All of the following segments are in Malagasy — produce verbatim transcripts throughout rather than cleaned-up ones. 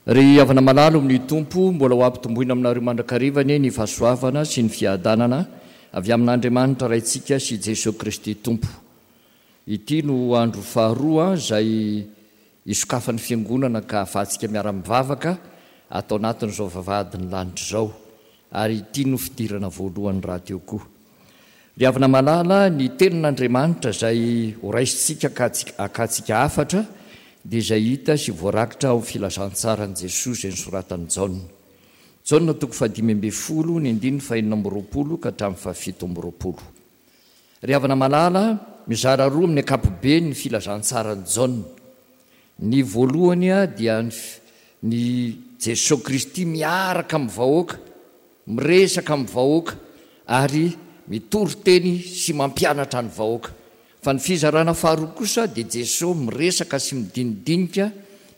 Ry havana malala amin'ny Tompo, mbola ho ampitomboina aminareo mandrakariva anie ny fahasoavana sy ny fiadanana avy amin'Andriamanitra Raintsika sy Jesoa Kristy Tompo. Ity no andro faharoa izay isokafan'ny Fiangonana ka ahafahantsika miara-mivavaka ato anatin'izao vavahadin'ny lanitra izao, ary ity no fidirana voalohany rahateo koa. Ry havana malala, ny Tenin'Andriamanitra izay horaisintsika ka hakantsika hafatra dia izay hita sy voarakitra ao amin'ny Filazantsaran'i Jesoa izay nosoratan'i Jaona. Jaona toko fahadimy ambin'ny folo, ny andininy fahenina amby roapolo ka hatramin'ny fahafito amby roapolo. Ry havana malala, mizara roa amin'ny ankapobeny ny Filazantsaran'i Jaona. Ny voalohany dia ny Jesoa Kristy miaraka amin'ny vahoaka, miresaka amin'ny vahoaka ary mitory teny sy mampianatra ny vahoaka. Fa ny fizarana faharoa kosa dia Jesoa miresaka sy midinidinika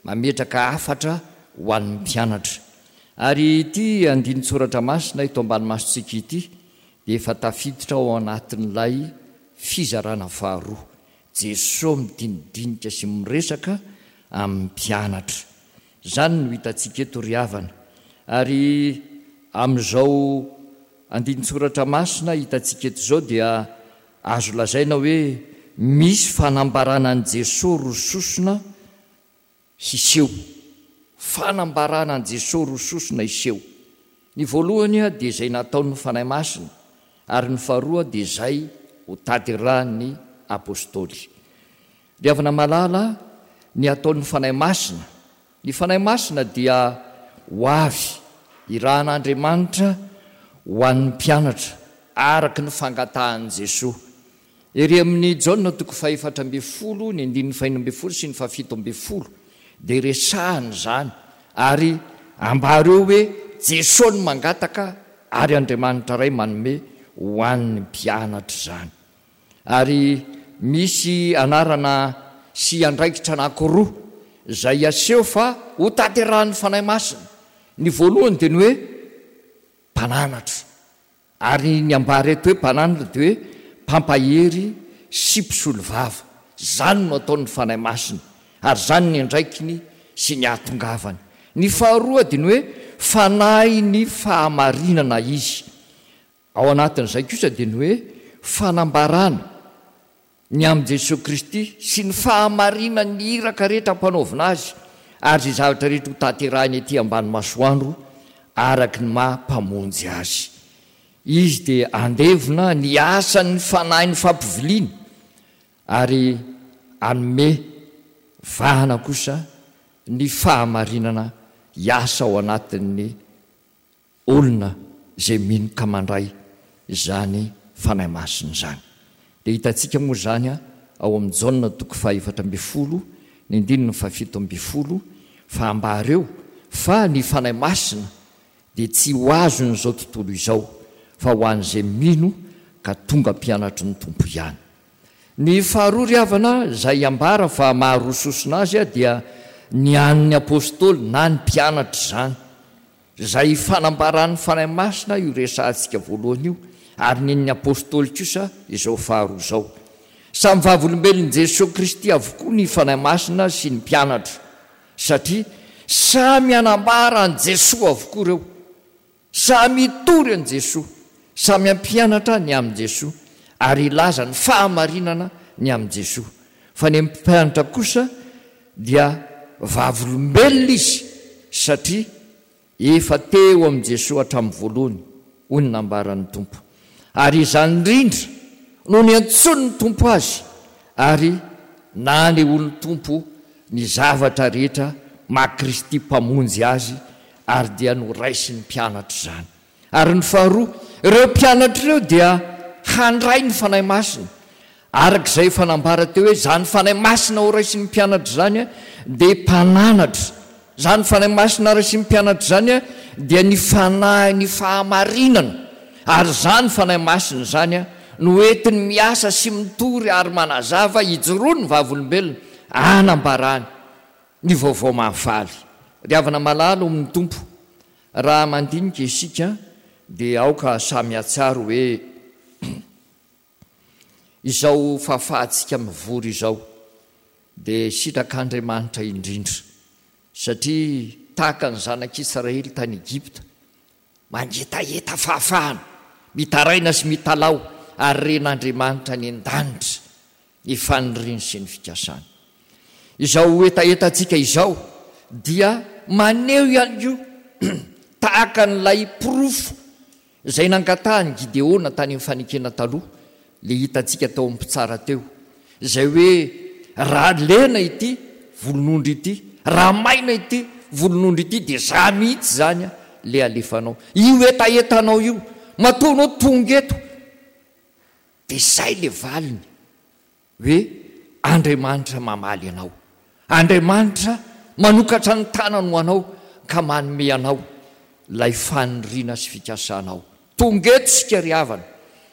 mametraka hafatra ho an'ny mpianatra. Ary ity andinin-tsoratra masina eto ambany masontsika ity dia efa tafiditra ao anatin'ilay fizarana faharoa. Jesoa midinidinika sy miresaka amin'ny mpianatra. Izany no hitantsika eto ry havana. Ary amin'izao andinin-tsoratra masina hitantsika eto izao dia azo lazaina hoe misy fanambarana an'i Jesoa roa sosona hiseho. Fanambarana an'i Jesoa roa sosona hiseho. Ny voalohany dia izay nataon'ny Fanahy Masina, ary ny faharoa dia izay ho tanterahin'ny Apostoly. Ry havana malala, ny ataon'ny Fanahy Masina. Ny Fanahy Masina dia ho avy irahan'Andriamanitra ho an'ny mpianatra, araka ny fangatahan'i Jesoa. Ery amin'ny Jaona toko fahefatra ambin'ny folo, ny andininy fahenina ambin'ny folo sy ny fahafito ambin'ny folo, dia resahana izany, ary ambara eo hoe Jesoa no mangataka ary Andriamanitra Ray manome ho an'ny mpianatra izany. Ary misy anarana sy andraikitra anankiroa izay aseho fa ho tanterahan'ny Fanahy Masina. Ny voalohany dia ny hoe mpananatra. Ary ny ambara eto hoe mpananatra dia hoe mpampahery sy mpisolovava. Izany no ataon'ny Fanahy Masina, ary izany ny andraikiny sy ny ahatongavany. Ny faharoa dia ny hoe fanahin'ny fahamarinana izy. Ao anatin'izay kosa dia ny hoe fanambarana ny amin'i Jesoa Kristy sy ny fahamarinan'ny iraka rehetra ampanaovina azy, ary izay zavatra rehetra ho tanterahiny ety ambany masoandro araka ny maha Mpamonjy azy. Izy dia handevona ny asan'ny fanahin'ny fampiviliana ary hanome vahana kosa ny fahamarinana hiasa ao anatin'ny olona izay mino ka mandray izany Fanahy Masina izany. Dia hitantsika moa izany ao amin'ny Jaona toko fahefatra ambin'ny folo, ny andininy fahafito ambin'ny folo, fa ambara eo fa ny Fanahy Masina dia tsy ho azon'izao tontolo izao, fa ho an'izay mino ka tonga mpianatry ny Tompo ihany. Ny faharoa ry havana izay ambara fa maharoa sosona azy dia ny an'ny Apostoly na ny mpianatra izany. Izay fanambaran'ny Fanahy Masina io resahantsika voalohany io, ary ny an'ny Apostoly kosa izao faharoa izao. Samy vavolombelon'i Jesoa Kristy avokoa ny Fanahy Masina sy ny mpianatra, satria samy hanambara an'i Jesoa avokoa ireo. Samy hitory an'i Jesoa, samy hampianatra ny amin'i Jesoa, ary hilaza ny fahamarinana ny amin'i Jesoa. Fa ny mpianatra kosa dia vavolombelona izy, satria efa teo amin'i Jesoa hatramin'ny voalohany, hoy ny nambaran'ny Tompo. Ary izany indrindra no niantsoan'ny Tompo azy, ary nanehoan'ny Tompo ny zavatra rehetra maha Kristy Mpamonjy azy, ary dia noraisin'ny mpianatra izany. Ary ny faharoa, ireo mpianatra ireo dia handray ny Fanahy Masina. Araka izay efa nambara teo hoe izany Fanahy Masina horaisin'ny mpianatra izany dia mpananatra. Izany Fanahy Masina raisin'ny mpianatra izany dia ny Fanahin'ny fahamarinana. Ary izany Fanahy Masina izany no entiny miasa sy mitory ary manazava hijoroan'ny vavolombelona hanambarany ny vaovao mahafaly. Ry havana malala ao amin'ny Tompo, raha mandinika isika dia aoka samy hahatsiaro hoe izao fahafahantsika mivory izao dia sitrak'Andriamanitra indrindra, satria tahaka ny zanak'Israely tany Egypta, mangetaheta fahafahana, mitaraina sy mitalaho, ary ren'Andriamanitra any an-danitra ny faniriany sy ny fikasany. Izao hetahetantsika izao dia maneho ihany koa tahaka an'ilay porofo izay nangatahan'i Gideona tany amin'ny fanekena taloha, ilay hitantsika tao amin'ny mpitsara teo, izay hoe raha lena ity volon'ondry ity, raha maina ity volon'ondry ity, dia za mihitsy izany ilay alefanao. Io hetahetanao io, matoa anao tonga eto, dia izay ilay valiny hoe Andriamanitra mamaly anao. Andriamanitra manokatra ny tanany ho anao ka manome anao ilay faniriana sy fikasanao. Tonga eto isika ry havana,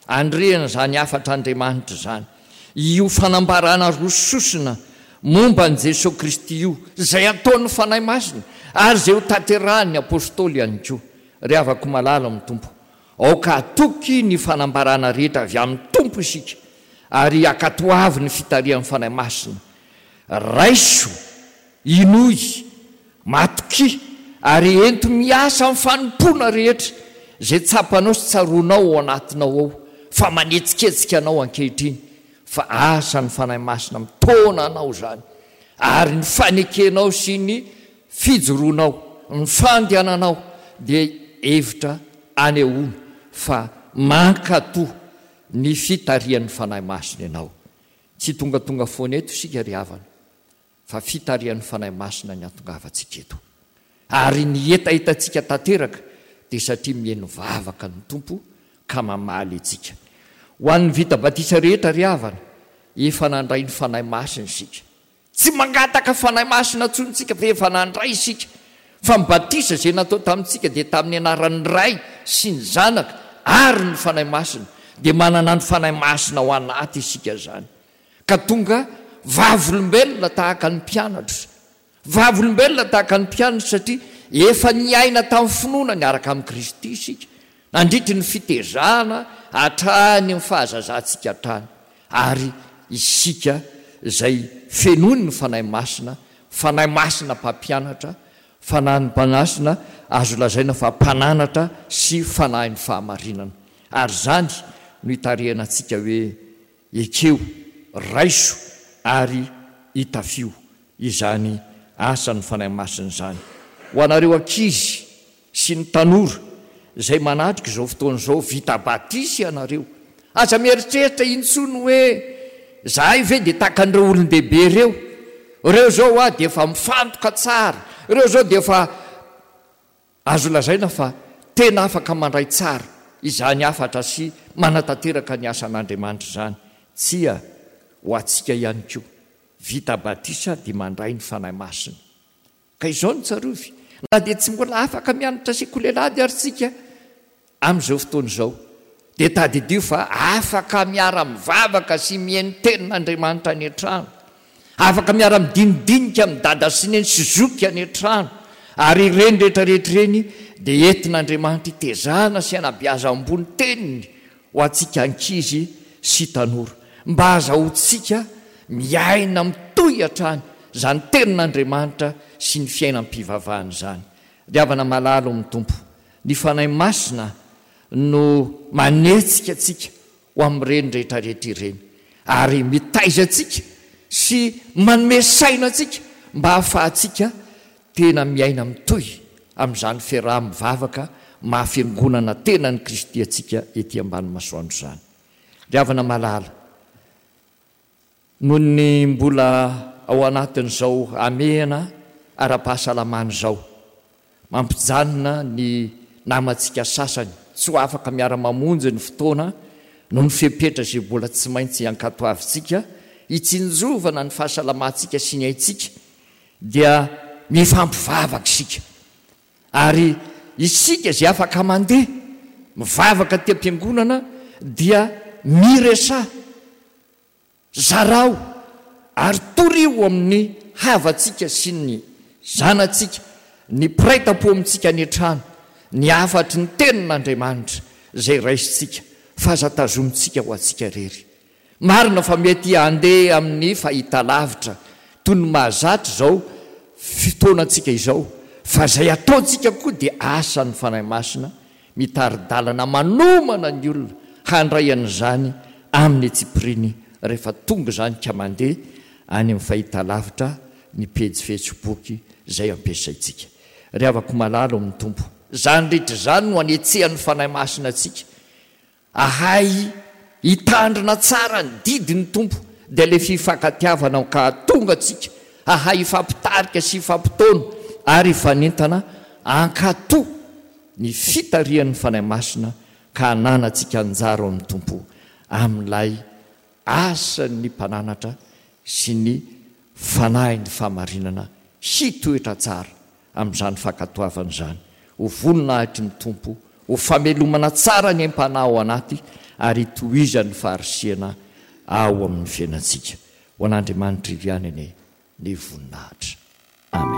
andrehana izany hafatr'Andriamanitra izany. Io fanambarana roa sosona momba an'i Jesoa Kristy io, izay ataon'ny Fanahy Masina ary izay ho tanterahan'ny Apostoly ihany koa. Ry havako malala amin'ny Tompo, aoka hatoky ny fanambarana rehetra avy amin'ny Tompo isika ary hankatoavy ny fitarihan'ny Fanahy Masina. Raiso, inoy, matokia ary ento miasa amin'ny fanompoana rehetra izay tsapanao sy tsaroanao ao anatinao ao fa manetsiketsika anao ankehitriny, fa asan'ny Fanahy Masina mitaona anao izany, ary ny fanekenao sy ny fijoroanao, ny fandehananao dia hevitra anehoana fa mankatò ny fitarihan'ny Fanahy Masina ianao. Tsy tongatonga foana eto isika ry havana, fa fitarihan'ny Fanahy Masina ny hatongavantsika eto. Ary ny hetahetantsika tanteraka dia satria mihaino vavaka ny Tompo ka mamaly antsika. Ho an'ny vita batisa rehetra ry havana, efa nandray ny Fanahy Masina isika. Tsy mangataka Fanahy Masina intsony isika fa efa nandray isika. Fa ny batisa izay natao tamintsika dia tamin'ny anaran'ny Ray sy ny Zanaka ary ny Fanahy Masina. Dia manana ny Fanahy Masina ao anaty isika izany. Ka tonga vavolombelona tahaka ny mpianatra. Vavolombelona tahaka ny mpianatra satria efa niaina tamin'ny finoana niaraka amin'i Kristy isika nandritry ny fitezana hatrany amin'ny fahazazantsika hatrany. Ary isika izay fenoin'ny Fanahy Masina, Fanahy Masina mpampianatra, Fanahy Masina azo lazaina fa mpananatra sy Fanahin'ny fahamarinana. Ary izany no itarihana antsika hoe ekeo, raiso ary itafio izany asan'ny Fanahy Masina izany. Ho anareo ankizy sy ny tanora izay manatrika izao fotoana izao, vita batisa ianareo. Aza mieritreritra intsony hoe zahay ve dia tahaka an'ireo olon-dehibe ireo. Ireo izao hoa dia efa mifantoka tsara, ireo izao dia efa azo lazaina fa tena afaka mandray tsara izany hafatra sy manatanteraka ny asan'Andriamanitra izany. Tsia, ho antsika ihany koa, vita batisa dia mandray ny Fanahy Masina. Ka izao no tsarovy, na dia tsy mbola afaka mianatra sekoly alahady ary isika amin'izao fotoana izao, dia tadidio fa afaka miara-mivavaka sy mihaino tenin'Andriamanitra any an-trano, afaka miara-midinidinika amin'i dada sy neny sy zoky any an-trano, ary ireny rehetra rehetra ireny dia entin'Andriamanitra hitezana sy hanabeazam-boa ny teniny ho antsika ankizy sy tanora, mba hahazahoantsika miaina mitohy hatrany izany tenin'Andriamanitra sy ny fiainam-pivavahana izany. Ry havana malala ao amin'ny Tompo, ny Fanahy Masina no manetsika antsika ho amin'ireny rehetra rehetra ireny, ary mitaiza antsika sy manome saina antsika mba hahafahantsika tena miaina mitohy amin'izany fiaraha-mivavaka maha fiangonana tena an'i Kristy antsika ety ambany masoandro izany. Ry havana malala, noho ny mbola ao anatin'izao hamehana ara-pahasalamana izao, mampijanona ny namantsika sasany tsy ho afaka miara-mamonjy ny fotoana noho ny fepetra izay mbola tsy maintsy ankatoavintsika hitsinjovana ny fahasalamantsika sy ny aintsika, dia mifampivavaka isika. Ary isika izay afaka mandeha mivavaka aty am-piangonana dia miresaha, zarao ary torio amin'ny havantsika sy ny zanatsika, ny mpiray tampo amintsika any an-trano, ny hafatry ny Tenin'Andriamanitra izay raisintsika fa aza tazomintsika ho antsika irery. Marina fa mety handeha amin'ny fahitalavitra toy ny mahazatra izao fotoanantsika izao, Fa izay ataontsika koa dia asan'ny Fanahy Masina mitari-dalana manomana ny olona handray an'izany amin'ny antsipiriany rehefa tonga izany ka mandeha any amin'ny fahitalavitra ny pejy Facebook izay ampiasaintsika. Ry havako malala ao amin'ny Tompo, izany rehetra izany no anetsehan'ny Fanahy Masina antsika Ahay hitandrina tsara ny didin'ny Tompo, dia ilay fifankatiavana ka hahatonga antsika hahay hifampitarika sy hifampitaona ary hifanentana hankatò ny fitarihan'ny Fanahy Masina ka hananantsika anjara ao amin'ny Tompo amin'ilay asan'ny Mpananatra sy ny Fanahin'ny fahamarinana hitoetra tsara amin'izany fankatoavana izany, ho voninahitry ny Tompo, ho famelomana tsara ny aim-panahy ao anaty ary hitohizan'ny faharisihana ao amin'ny fiainantsika. Ho an'Andriamanitra iry ihany anie ny voninahitra. Amen.